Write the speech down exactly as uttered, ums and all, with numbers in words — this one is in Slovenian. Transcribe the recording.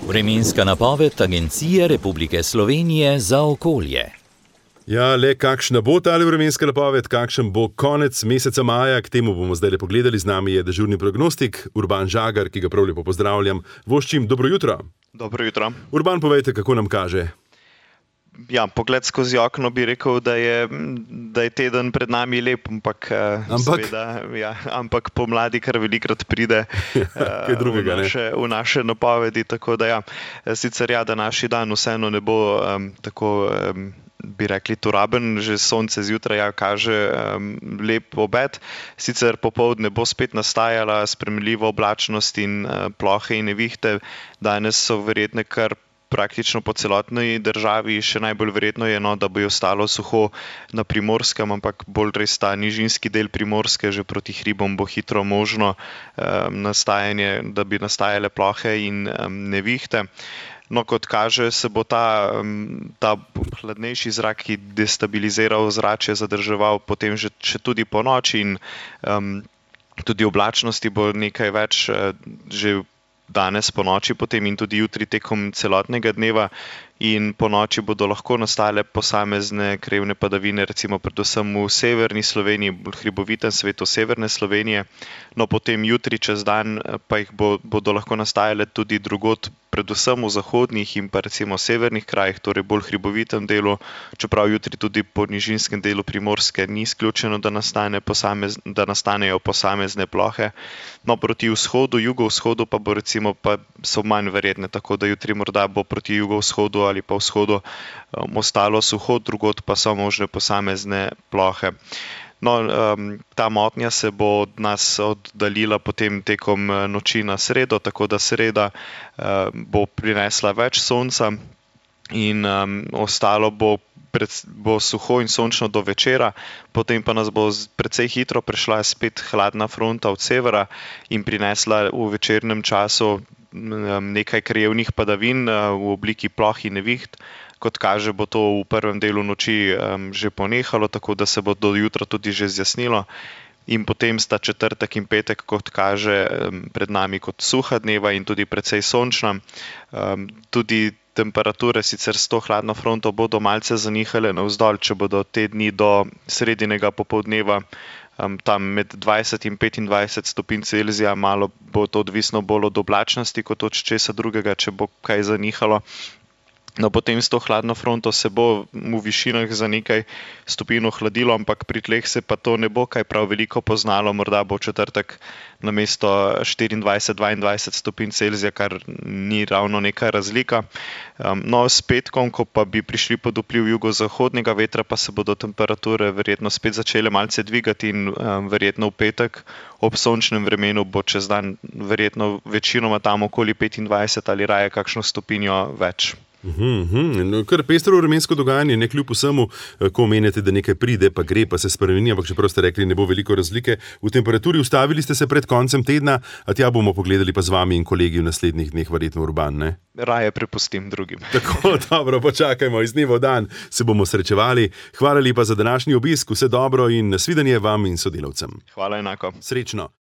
Vremenska napoved Agencije Republike Slovenije za okolje. Ja, le kakšna bo ta vremenska napoved, kakšen bo konec meseca maja, k temu bomo zdaj le pogledali. Z nami je dežurni prognostik Urban Žagar, ki ga prav lepo pozdravljam. Voščim, dobro jutro. Dobro jutro. Urban, povejte, kako nam kaže? Ja, pogled skozi okno bi rekel, da je, da je teden pred nami lep, ampak, ampak? Seveda, ja, ampak pomladi kar velikrat pride Kaj drugega, v, naše, v naše napovedi. Tako da ja, sicer ja, današnji dan vseeno ne bo um, tako, um, bi rekli, turaben, že sonce zjutraj ja, kaže um, lep obet. Sicer popoldne bo spet nastajala spremljiva oblačnost in uh, plohe in nevihte. Danes so verjetne kar praktično po celotni državi, še najbolj verjetno je, no, da bo ostalo suho na Primorskem, ampak bolj res ta nižinski del Primorske, že proti hribom bo hitro možno um, nastajanje, da bi nastajale plohe in um, nevihte. No, kot kaže, se bo ta, um, ta hladnejši zrak, ki destabilizira ozračje, zadrževal potem že, še tudi po noči in um, tudi oblačnosti bo nekaj več uh, že danes po noči potem in tudi jutri tekom celotnega dneva in po noči bodo lahko nastale posamezne krevne padavine, recimo predvsem v severni Sloveniji, bolj hribovitem svetu severne Slovenije. No, potem jutri čez dan pa jih bo, bodo lahko nastajale tudi drugod, predvsem v zahodnih in pa recimo severnih krajih, torej bolj hribovitem delu, čeprav jutri tudi po nižinskem delu Primorske ni izključeno, da, nastane posamez, da nastanejo posamezne plohe. No, proti vzhodu, jugovzhodu pa bo recimo pa so manj verjetne, tako da jutri morda bo proti jugovzhodu ali pa vzhodu um, ostalo suho, drugod pa so možne posamezne plohe. No, um, ta motnja se bo od nas oddaljila potem tekom noči na sredo, tako da sreda uh, bo prinesla več sonca in um, ostalo bo, pred, bo suho in sončno do večera, potem pa nas bo precej hitro prešla spet hladna fronta od severa in prinesla v večernem času nekaj krajevnih padavin v obliki ploh in neviht. Kot kaže, bo to v prvem delu noči um, že ponehalo, tako da se bo do jutra tudi že zjasnilo. In potem sta četrtek in petek, kot kaže, um, pred nami kot suha dneva in tudi precej sončna. Um, tudi temperature sicer s to hladno fronto bodo malce zanihale navzdol, če bodo te dni do sredinega popoldneva Um, tam med dvajset in petindvajset stopinj Celzija, malo bo to odvisno bolj od oblačnosti kot od česa drugega, če bo kaj zanihalo. No, potem s to hladno fronto se bo v višinah za nekaj stopinj ohladilo, ampak pri tleh se pa to ne bo kaj prav veliko poznalo, morda bo četrtek namesto štiriindvajset dvaindvajset stopinj Celzija, kar ni ravno neka razlika. Um, no, s petkom, ko pa bi prišli pod vpliv jugozahodnega vetra, pa se bodo temperature verjetno spet začele malce dvigati in um, verjetno v petek ob sončnem vremenu bo čez dan verjetno večinoma tam okoli petindvajset ali raje kakšno stopinjo več. Uhum, uhum. No, kar pestro vremensko dogajanje, ne kljub vsemu, ko omenjate, da nekaj pride, pa gre, pa se spremeni, ampak čeprav ste rekli, ne bo veliko razlike v temperaturi. Ustavili ste se pred koncem tedna, a tja bomo pogledali pa z vami in kolegi v naslednjih dneh, verjetno Urban, ne? Raje prepustim drugim. Tako, dobro, počakajmo, iz dneva v dan se bomo srečevali. Hvala lepa za današnji obisk, vse dobro in nasvidenje vam in sodelavcem. Hvala enako. Srečno.